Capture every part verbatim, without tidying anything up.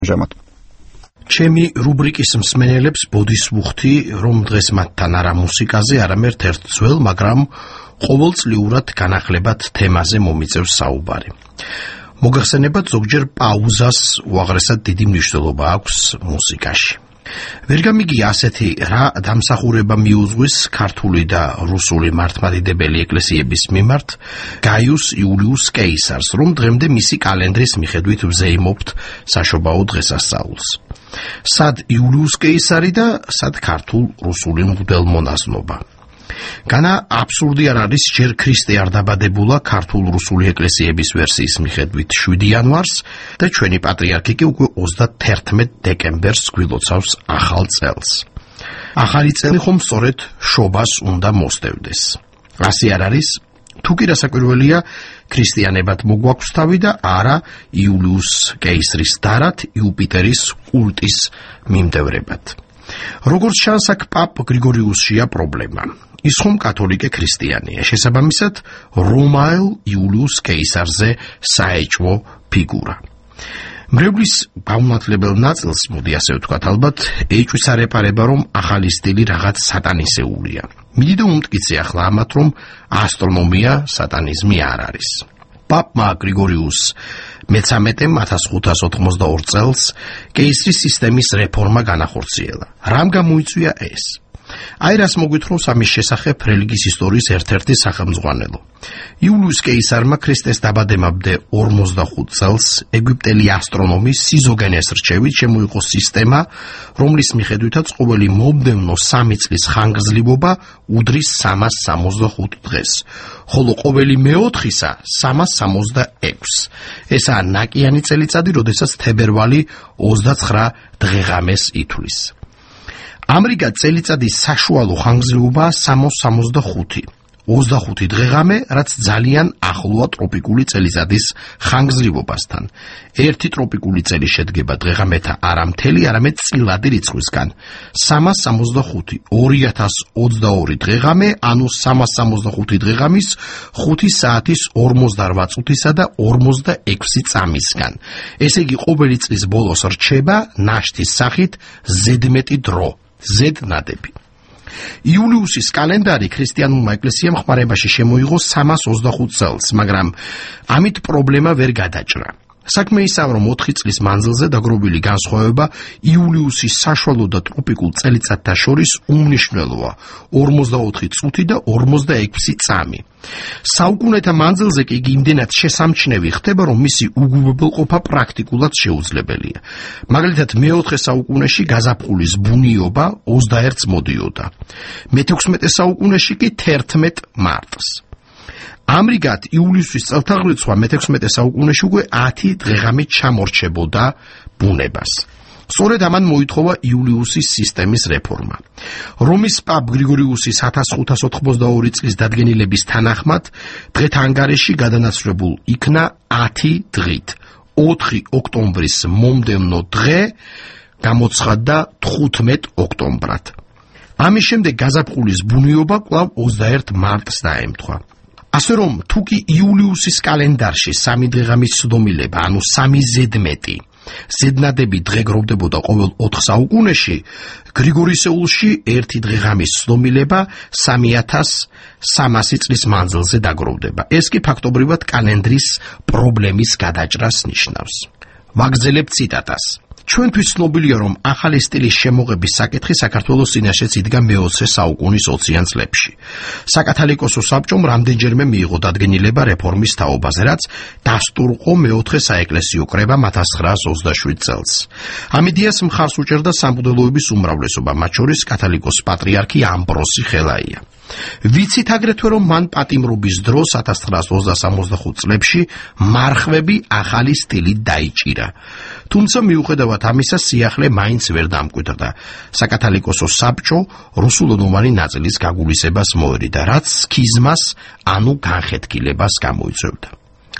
ამჟამად. ჩემი რუბრიკის მსმენელებს ბოდის ვუხდი, რომ დღეს მათთან არა მუსიკაზე, არამედ ერთ ძველ, მაგრამ ყოველწლიურად განახლებად თემაზე მომიწევს საუბარი. მოგახსენებათ, ზოგჯერ პაუზას უაღრესად დიდი მნიშვნელობა აქვს მუსიკაში. ვერ გამიგია ასეთი რა დამსახურება მიუძღვის ქართული და რუსული მართლმადიდებელი ეკლესიების მიმართ გაიუს იულიუს კეისარს, რომ დღემდე მისი კალენდრის მიხედვით ვზეიმობთ საშობაო დღესასწაულს. სად იულიუს კეისარი და სად ქართულ-რუსული მღვდელმონაზნობა. განა აბსურდი არ არის ჯერ ქრისტე არ დაბადებულა ქართულ-რუსული ეკლესიების ვერსიის მიხედვით შვიდი იანვარს და ჩვენი პატრიარქი კი უკვე ოცდათერთმეტ დეკემბერს გვილოცავს ახალ წელს. ახალი წელი ხომ სწორედ შობას უნდა მოსდევდეს. ასე არ არის? თუ კი რასაკვირველია, ქრისტიანებად მოგვაქვს თავი და არა იულიუს კეისრის დარად იუპიტერის კულტის მიმდევრებად. როგორც ჩანს, აქ პაპ გრიგორიუსშია პრობლემა. ის ხომ კათოლიკე ქრისტიანია, შესაბამისად რომაელ იულიუს კეისარზე საეჭვო ფიგურა. მრევლის გაუმართლებელ ნაწილს, მოდი ასე ვთქვათ, ალბათ ეჭვის არ ეპარება, რომ ახალი სტილი რაღაც სატანისეულია. მიდიდო უმტკიცე ახლა ამათ, რომ ასტრონომია სატანიზმი არ არის. პაპმა გრიგორიუს მეცამეტემ ათას ხუთას ოთხმოცდაორ წელს კეისრის სისტემის რეფორმა განახორციელა. რამ გამოიწვია ეს? აი რას მოგვითხრობს ამის შესახებ რელიგიის ისტორიის ერთ-ერთი სახელმძღვანელო. იულიუს კეისარმა ქრისტეს დაბადებამდე ორმოცდახუთ წელს ეგვიპტელი ასტრონომის სიზოგენეს რჩევით შემოიღო სისტემა, რომლის მიხედვითაც ყოველი მომდევნო სამი წლის ხანგრძლივობა უდრის სამას სამოცდახუთ დღეს, ხოლო ყოველი მეოთხისა სამას სამოცდაექვსს. ესაა ნაკიანი წელიწადი, როდესაც თებერვალი ოცდაცხრა დღეღამეს ითვლის. ამრიგად წელიწადის საშუალო ხანგრძლივობაა სამას სამოცდახუთი. ოცდახუთი დღეღამე, რაც ძალიან ახლოა ტროპიკული წელიწადის ხანგრძლივობასთან. ერთი ტროპიკული წელი შედგება დღეღამეთა არა მთელი, არამედ წილადი რიცხვისგან. სამას სამოცდახუთი, ორი ათას ოცდაორი დღეღამე, ანუ სამას სამოცდახუთი დღეღამის ხუთი საათის ორმოცდარვა წუთისა და ორმოცდაექვსი წამისგან. ესე იგი ყოველი წლის ბოლოს რჩება ნაშთის სახით ზედმეტი დრო. ზედნადები. იულიუსის კალენდარი ქრისტიანულმა ეკლესიამ ხმარებაში შემოიღო სამას ოცდახუთ წელს, მაგრამ ამით პრობლემა ვერ გადაჭრა. საქმე ისაა, რომ ოთხი წლის მანძილზე დაგროვილი განსხვავება იულიუსის საშუალო და ტროპიკულ წელიწადთა შორის უმნიშვნელოა, ორმოცდაოთხი წუთი და ორმოცდაექვსი წამი. საუკუნეთა მანძილზე კი იგი იმდენად შესამჩნევი ხდება, რომ მისი უგულებელყოფა პრაქტიკულად შეუძლებელია. მაგალითად, მეოთხე საუკუნეში გაზაფხულის ბუნიობა ოცდაერთს მოდიოდა. მეთექვსმეტე საუკუნეში კი თერთმეტ მარტს. ამრიგად იულიუსის წელთაღრიცხვა მეთექვსმეტე საუკუნეში უკვე ათი დღეღამით ჩამორჩებოდა ბუნებას. სწორედ ამან მოითხოვა იულიუსის სისტემის რეფორმა. რომის პაპ გრიგორიუსის ათას ხუთას ოთხმოცდაორი წლის დადგენილების თანახმად დღეთა ანგარიში გადანაცვლებულ იქნა ათი დღით. ოთხი ოქტომბრის მომდევნო დღე გამოცხადდა თხუთმეტ ოქტომბრად. ამის შემდეგ გაზაფხულის ბუნიობა კვლავ ოცდაერთ მარტს დაემთხვა. ასე რომ, თუ კი იულიუსის კალენდარში სამი დღეღამის ცდომილება, ანუ სამი ზედმეტი, ზედნადები დღე გროვდებოდა ყოველ ოთხ საუკუნეში, გრიგორისეულში ერთი დღეღამის ცდომილება სამი ათას სამასი წლის მანძილზე დაგროვდება. ეს კი ფაქტობრივად კალენდრის პრობლემის გადაჭრას ნიშნავს. ვაგრძელებ ციტატას. ჩვენთვის ცნობილია, რომ ახალი სტილის შემოღების საკითხი საქართველოს წინაშეც იდგა მეოცე საუკუნის ოციან წლებში. საკათალიკოსო საბჭომ რამდენჯერმე მიიღო დადგენილება რეფორმის თაობაზე, რაც დასტურყო მეოთხე საეკლესიო კრებამ ათას ცხრაას ოცდაშვიდ წელს. ამ იდეას მხარს უჭერდა სამღვდელოების უმრავლესობა, მათ შორის კათალიკოს პატრიარქი ამბროსი ხელაია. ვიცით აგრეთვე, რომ მან პატიმრობის დროს ათას ცხრაას ოცდასამოცდახუთ წლებში მარხვები ახალი სტილით დაიჭირა. თუმცა მიუხედავად ამისა, სიახლე მაინც ვერ დამკვიდრდა. საკათალიკოსო საბჭო რუსულენოვანი ნაწილის გაგულისებას მოერიდა, რაც სქიზმას, ანუ განხეთქილებას გამოიწვევდა.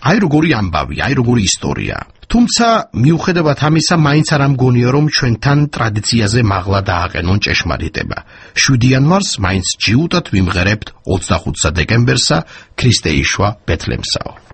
აი როგორი ამბავი, აი როგორი ისტორია. თუმცა მიუხედავად ამისა, მაინც არ ამგონია, რომ ჩვენთან ტრადიციაზე მაღლა დააყენონ ჭეშმარიტება. შვიდი იანვარს მაინც ჯიუტად ვიმღერებთ ოცდახუთსა დეკემბერსა, ქრისტე იშვა ბეთლემსაო.